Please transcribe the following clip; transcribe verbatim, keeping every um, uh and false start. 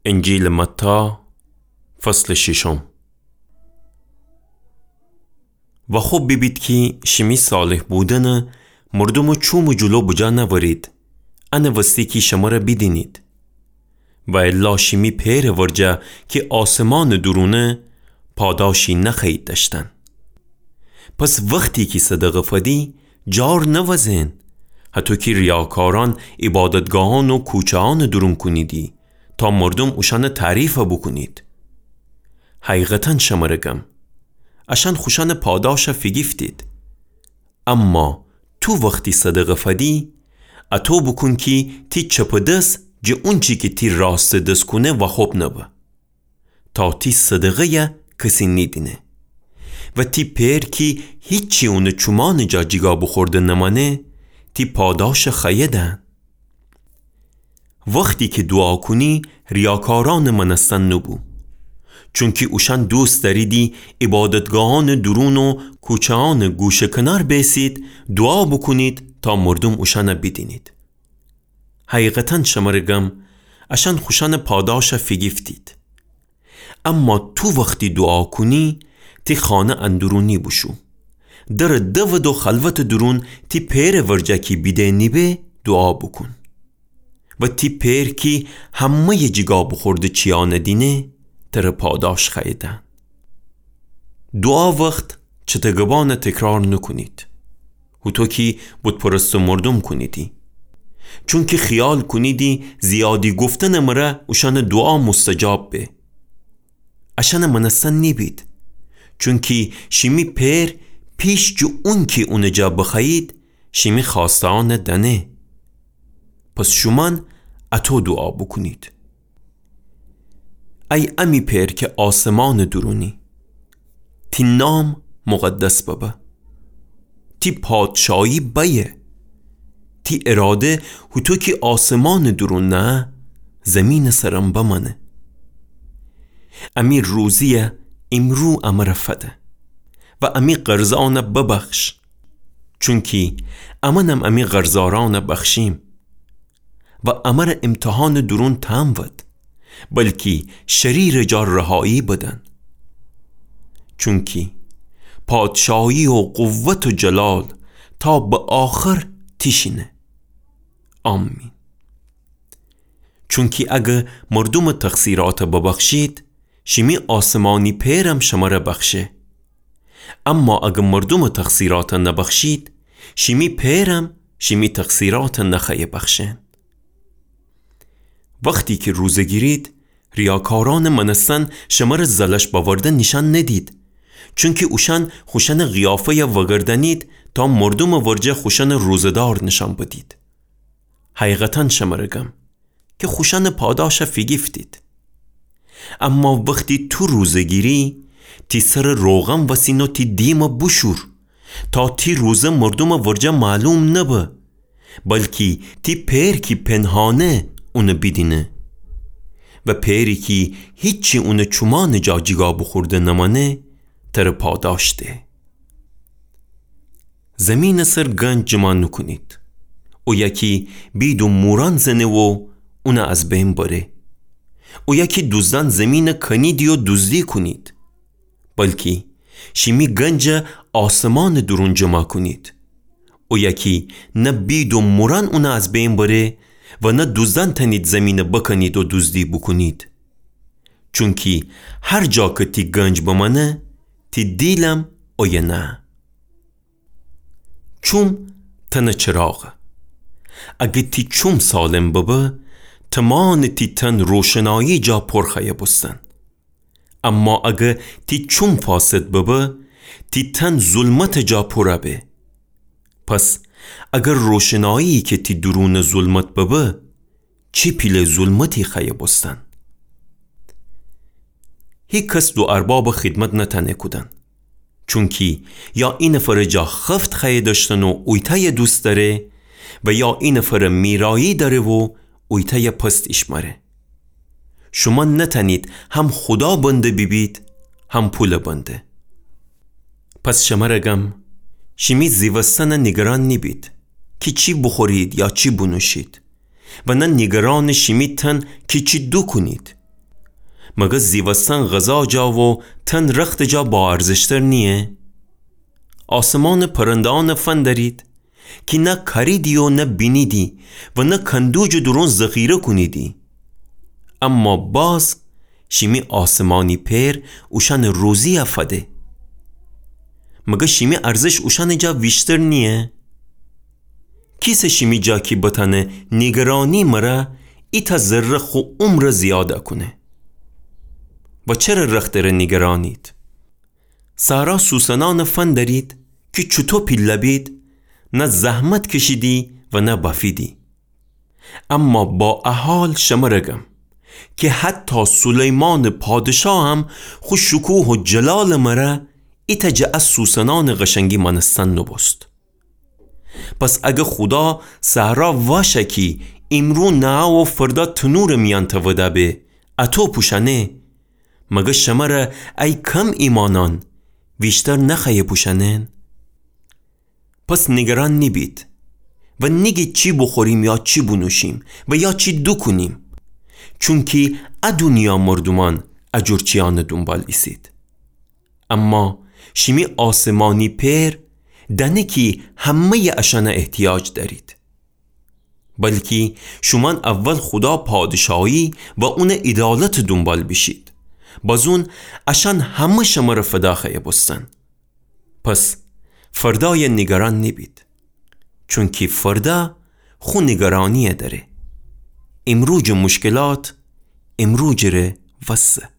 انجیلٚ متی، فصلٚ ششم. و خب بیبید کی شیمی صالح بودنٚ مردومٚ چومٚ جلو بجا نأورید، انٚ وستی کی شمر بیدینید. و الا شیمی پئرٚ ورجه کی آسمانٚ دورونه، پاداشی نخوأیید دأشتن. پس وختی کی صدقه فدی، جار نوزین، هطو کی ریاکارأن عبادتگاهأن و کوچه‌أنٚ دورون کونیدی، تا مردوم اوشأنٚ تعریف بوکونید. حقیقتا شمر گم، اشأن خوشأنٚ پاداش فیگیفتید. اما تو وختی صدقه فدی، اطو بوکون کی تی چپٚ دس جٚه اونچی کی تی راستٚ دس کونه واخوب نبه، تا تی صدقه‌یه کسی نیدینه. و تی پئر کی هیچی اونٚ چومأنٚ جا جیگا بوخورده نمأنه، تی پاداش خوأیه دأن. وختی کی دوعا کونی، ریاکارأنٚ مأنستن نوبو. چونکی اوشأن دوست دأریدی عبادتگاهأنٚ دورون و کوچه‌أنٚ گوشه کنار بیسید، دوعا بوکونید تا مردوم اوشأن بیدینید. حقیقتا شمر گم، اشأن خوشأنٚ پاداش فیگیفتید. اما تو وختی دوعا کونی، تی خانه اندرونی بوشو، درٚ دود و خلوتٚ دورون تی پئرٚ ورجه کی بیده نیبه دوعا بوکون. و تی پئر کی همه‌یٚ جیگا بوخورده چیأن دینه، تر پاداش خوأیه دأن. دوعا وخت چتگبأن تکرار نوکونید، هوطو کی بت‌پرستٚ مردوم کونیدی. چونکی خیال کونیدی زیادی گفتنٚ مره اوشأنٚ دوعا مستجاب به. اشأن مأنستن نیبید. چونکی شیمی پئر پیش جٚه اونکی اونٚ جا بخوأیید، شیمی خوأسته‌أن دأنه. پس شومأن اطو دوعا بوکونید: ای امی پئر کی آسمانٚ دورونی، تی نام مقدس ببه. تی پادشاهی بأیه. تی اراده هوطو کی آسمانٚ دورون نه، زیمینٚ سرم بمأنه. امی روزی‌یه ایمرو امر فده و امی قرضأن ببخش، چونکی امأنم امی قرضدارأن بخشیم. و امر امتحانٚ دورون تمود، بلکی شریرٚ جا رهایی بدن. چونکی پادشاهی و قوت و جلال تا به آخر تیشینه. آمین. چونکی اگه مردومٚ تقصیرأت ببخشید، شیمی آسمانی پئرم شمر بخشه. اما اگه مردومٚ تقصیرأت نبخشید، شیمی پئرم شیمی تقصیرأت نخوأیه بخشن. وختی کی روزه گیرید، ریاکارأنٚ مأنستن شمر زلش بأورده نیشأن ندید، چونکی اوشأن خوشأنٚ قیافه‌یه وگردأنید تا مردومٚ ورجه خوشأنٚ روزه‌دار نیشأن بدید. حقیقتا شمر گم، کی خوشأنٚ پاداش فیگیفتید. اما وختی تو روزه گیری، تی سر روغن وسین و تی دیم بوشور، تا تی روزه مردومٚ ورجه معلوم نبه، بلکی تی پئر کی پنهانه اون بیدینه. و پئری کی هیچی اونٚ چومأنٚ جا جیگا بوخورده نمأنه، تر پاداش ده. زیمینٚ سر گنج جمع نوکونید. اویه کی بید و مورأن زنه و اون از بین بره. اویه کی دوزدأن زیمین کنیدی و دوزدی کونید. بلکی شیمی گنج آسمانٚ دورون جمع کونید. اویه کی نه بید و مورأن اون از بین بره و نه دوزدأن تأنید زیمین بکنید و دوزدی بوکونید. چونکی هر جا کی تی گنج بمأنه، تی دیلم اویه نه. چوم تنٚ چراغه. اگه تی چوم سالم ببه، تمانٚ تی تن روشنایی جا پر خوأیه بوستن. اما اگه تی چوم فاسد ببه، تی تن ظلمتٚ جا پر به. پس اگه روشنایی کی تی دورونٚ ظلمت ببه، چی پیله ظلمتی خوأیه بوستن؟ هیکس دو ارباب خدمت نتأنه کودن. چونکی یا ای نفرٚ جا خفت خوأیه دأشتن و اویتأیه دوست دأره و یا ای نفرٚ میرایی دأره و اویتأیه پست ایشمأره. شومأن نتأنید هم خودا بنده بیبید، هم پولٚ بنده. پس شمر گم، شیمی زیوستن نیگران نیبید کی چی بوخورید یا چی بونوشید. و نه نیگرانٚ شیمی تن کی چی دوکونید. مگر زیوستن غذا جا و تن رخت جا با ارزشتر نییه؟ آسمانٚ پرنده‌یأنٚ فندرید کی نه کاریدی و نه بینیدی و نه کندوجٚ دورون ذخیره کونیدی، اما باز شیمی آسمانی پئر اوشأنٚ روزی‌یَ فده. مگر شیمی ارزش اوشأنٚ جا ویشتر نییه؟ کیسه شیمی جا کی بتأنه نیگرانی مره ایتأ ذره خو عمرَ زیادَ کونه؟ و چره رختٚ ره نیگرانید؟ صحرا سوسنأنٚ فندرید کی چوطو پیله بید، نه زحمت کشیدی و نه بافیدی. اما با ا حال شمره گم کی حتی سلیمانٚ پادشاه هم خو شکوه و جلالٚ مره ایتأ جٚه ا سوسنأنٚ قشنگی مأنستن نوبوست. پس اگر خودا صحرا واشه کی ایمرو نعه و فردا تنورٚ میأن توده به، اطو پوشأنه، مگر شمره ای کم ایمأنأن ویشتر نخوأیه پوشأنن؟ پس نیگران نیبید و نیگید چی بوخوریم یا چی بونوشیم و یا چی دوکونیم، چونکی ا دونیا مردومأن ا جور چیأنٚ دونبال ایسید. اما شیمی آسمانی پئر دأنه کی همه‌یٚ اشأنَ احتیاج دأرید. بلکی شومأن اول خودا پادشاهی و اونٚ عیدالتٚ دونبال بیشید، بازون اشأن همه شمره فدا خوأیه بوستن. پس فردایَ نیگران نیبید، چونکی فردا خو نیگرانی‌یَ دأره. ایمروجٚ مشکلات ایمروجٚ ره وسه.